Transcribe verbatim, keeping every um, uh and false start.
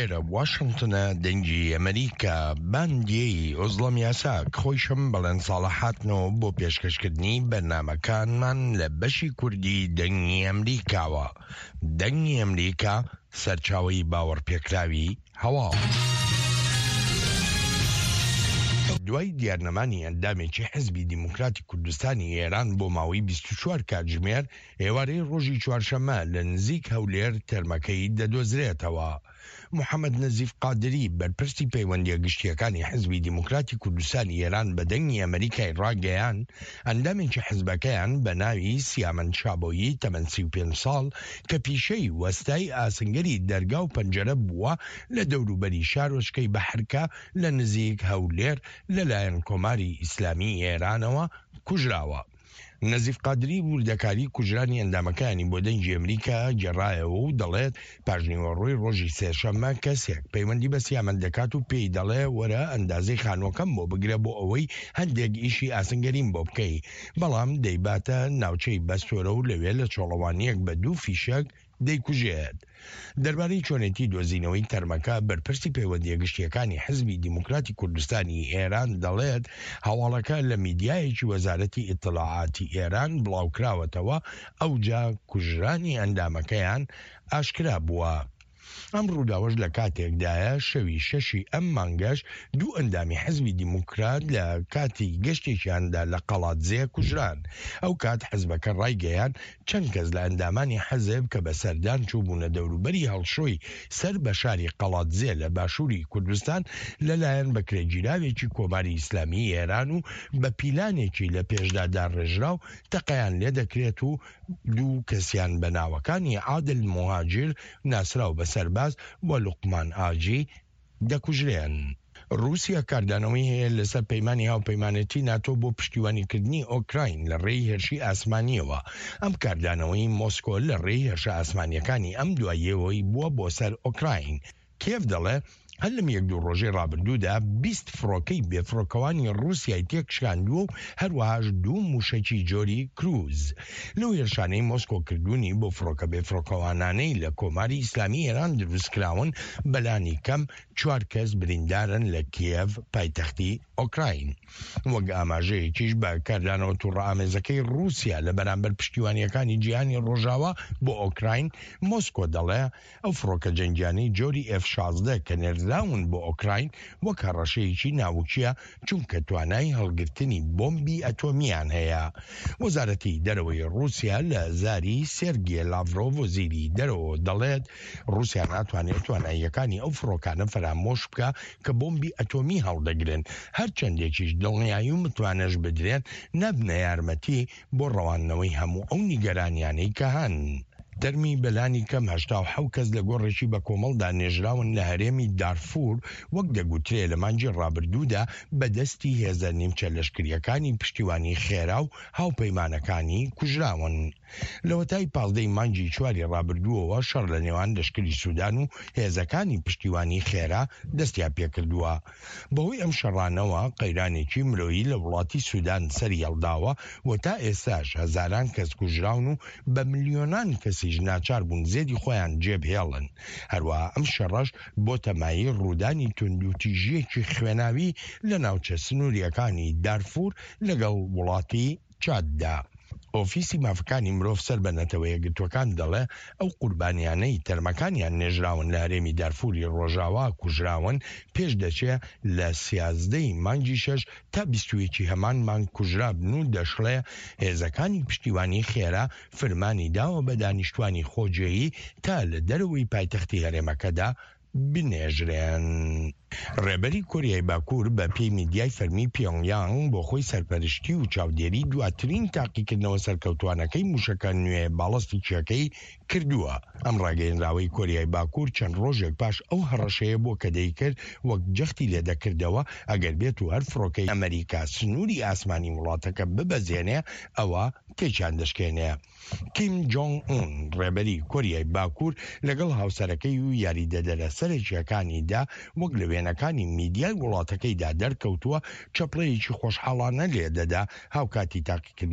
ئێرە واشنتنە دەنگی ئەمریکا باندیەی ئۆزڵەم یاساک خۆیشم بەڵێن ساڵح هاتنەوە بۆ پێشکەشکردنی بەرنامەکانمان لە بەشی کوردی دەنگی ئەمریکاوە دەنگی ئەمریکا سەرچاوەی باوەڕپێکراوی هەواڵ. دوای دیارنەمانی ئەندامێکی حزبی دیموکراتی کوردستانی ئێران بۆ ماوەی بیست و چوار کاتژمێر، ئێوارەی ڕۆژی چوارشەممە لە نزیک هەولێر تەرمەکەی دەدۆزرێتەوە. محەمەد نەزیف قادری، بەرپرسی پەیوەندییە گشتییەکانی حزبی دیموکراتی کوردستانی ئێران بە دەنگی ئەمەریکای ڕاگەیاند، ئەندامێکی حزبەکەیان بە ناوی سیامەند شابۆیی تەمەن سی و پێنج ساڵ کە پیشەی وەستای ئاسنگەری دەرگا و پەنجەرە بووە لە دەوروبەری شارۆچکەی بەحرکە لە نزیک هەولێر لەلایەن کۆماری ئیسلامی ئێرانەوە کوژراوە. نەزیف قادری وردەکاری کوژرانی ئەندامەکانی بۆ دەنگی ئەمریکا گێڕایەوە و دەڵێت پاشنیوەڕۆی ڕۆژی سێشەممە کەسێک پەیوەندی بە سیامەند دەکات و پێی دەڵێ وەرە ئەندازەی خانووەکەم بۆ بگرە بۆ ئەوەی هەندێک ئیشی ئاسنگەریم بۆ بکەی، بەڵام دەیباتە ناوچەی بەستۆرە و لەوێ لە چۆڵەوانییەک بە دوو فیشەک دەیکوژێت. دەربارەی چۆنێتی دۆزینەوەی تەرمەکە، بەرپرسی پەیوەندییە گشتییەکانی حزبی دیموکراتی کوردستانی ئێران دەڵێت، هەواڵەکە لە میدیایەکی وەزارەتی ئیتڵاعاتی ئێران بڵاوکراوەتەوە، ئەوجا کوژرانی ئەندامەکەیان ئاشکرا بووە. ئەم ڕووداوەش لە کاتێکدایە شەوی شەشی ئەم مانگەش دوو ئەندامی حزبی دیموکرات لە کاتی گەشتێکیاندا لە قەڵادزێ کوژران. ئەو کات حزبەکە ڕایگەیاند چەند کەس لە ئەندامانی حزب کە بە سەردان چووبوونە دەوروبەری هەڵشۆی سەر بە شاری قەڵادزێ لە باشووری کوردستان لەلایەن بەکرێگیراوێکی کۆماری ئیسلامیی ئێران و بە پیلانێکی لە پێشدا داڕێژراو تەقەیان لێدەکرێت و دوو کەسیان بە ناوەکانی عادل موهاجیر ناسراو بە سەرباز و لوقمان ئاجی دەکوژرێن. ڕووسیا کاردانەوەی هەیە لەسەر پەیمانی هاوپەیمانێتی ناتۆ بۆ پشتیوانیکردنی ئۆکراین لە ڕێی هێرشی ئاسمانییەوە. ئەم کاردانەوەی مۆسکۆ لە ڕێی هێرشە ئاسمانییەکانی ئەم دواییەوەی بووە بۆ سەر ئۆکراین. کیێڤ دەڵێ هەر لەم یەک دوو ڕۆژەی ڕابردوودا بیست فڕۆکەی بێفڕۆکەوانی ڕووسیای تێکشکاندووە و هەروەهاش دوو مووشەکی جۆری کروز لەو هێرشانەی مۆسکۆ کردوونی بۆ فڕۆکە بێفڕۆکەوانانەی لە کۆماری ئیسلامی ئێران دروستکراون بەلانی کەم چوار کەس بریندارن لە کیێڤ پایتەختی ئۆکراین. وەک ئاماژەیەکیش بە کاردانەوە توڕەئامێزەکەی ڕووسیا لە بەرامبەر پشتیوانییەکانی جیهانی ڕۆژاوا بۆ ئۆکراین، مۆسکۆ دەڵێ ئەو فڕۆکە جەنگیانەی جۆری ئێف شازدە کە نێردراون بۆ ئۆکراین وەک هەڕەشەیەکی ناوکییە چونکە توانای هەڵگرتنی بۆمبی ئەتۆمییان هەیە. وەزارەتی دەرەوەی ڕووسیا لە زاری سێرگێ لاڤرۆڤ وەزیری دەرەوە دەڵێت ڕووسیا ناتوانێت تواناییەکانی ئەو فڕۆکانە فەرامۆش بکا کە بۆمبی ئەتۆمی هەڵدەگرن، هەرچەندێکیش دڵنیایی و متمانەش بدرێن نابنە یارمەتی بۆ ڕەواندنەوەی هەموو ئەو نیگەرانیانەی کە هەن. تەرمی بەلانی کەم هەشتا و حەوت کەس لە گۆڕێکی بەکۆمەڵدا نێژراون لە هەرێمی دارفور، وەک دەگوترێ لە مانگی ڕابردوودا بە دەستی هێزە نیمچە لەشکرییەکانی پشتیوانی خێرا و هاوپەیمانەکانی کوژراون. لەوەتای پازدە ی مانگی چواری ڕابردووەوە شەڕ لە نێوان لەشکری سودان و هێزەکانی پشتیوانی خێرا دەستیان پێکردووە. بەهۆی ئەم شەڕانەوە قەیرانێکی مرۆیی لە وڵاتی سودان سەریهەڵداوە و تا ئێستاش هەزاران کەس کوژراون و بە ملیۆنان کەسیش ناچار بوون زێدی خۆیان جێبهێڵن. هەروەها ئەم شەڕەش بۆتە مایەی ڕوودانی توندوتیژییەکی خوێناوی لە ناوچە سنوورییەکانی دارفور لەگەڵ وڵاتی چاددا. ئۆفیسی مافەکانی مرۆڤ سەر بە نەتەوەیەکگرتووەکان دەڵێ ئەو قوربانیانەی تەرمەکانیان نێژراون لە هەرێمی دارفوری ڕۆژاوا کوژراون پێش دەچێ لە سیازدە ی مانگی شەش تا بیست و یەک ی هەمان مانگ کوژرابن و دەشڵێ هێزەکانی پشتیوانی خێرا فرمانی داوە بە دانیشتوانی خۆجێیی تا لە دەرەوەی پایتەختی هەرێمەکەدا بنێژرێن. ڕێبەری کۆریای باکوور بە پێی میدیای فەرمی پیۆنگ یانگ بۆ خۆی سەرپەرشتی و چاودێری دواترین تاقیکردنەوە سەرکەوتوانەکەی موشەکە نوێ باڵستیکیەکەی کردووە. ئەم ڕاگەیەنراوەی کۆریای باکوور چەند ڕۆژێک پاش ئەو هەڕەشەیە بووە کە دەیکرد وەک جەختی لێدەکردەوە ئەگەر بێت و هەر فڕۆکەی ئەمەریکا سنووری ئاسمانی وڵاتەکە ببەزێنێ ئەوا تێکیان دەشکێنێ. کیم جۆنگ ئون، ڕێبەری کۆریای باکوور لەگەڵ هاوسەرەکەی و یاریدەدەرە سەرەکییەکانیدا وەک لە وێنەکانی میدیای وڵاتەکەیدا دەرکەوتووە، چەپڵەیەکی خۆشحاڵانە لێدەدا هاوکاتی تاقیکردنەوەکەی.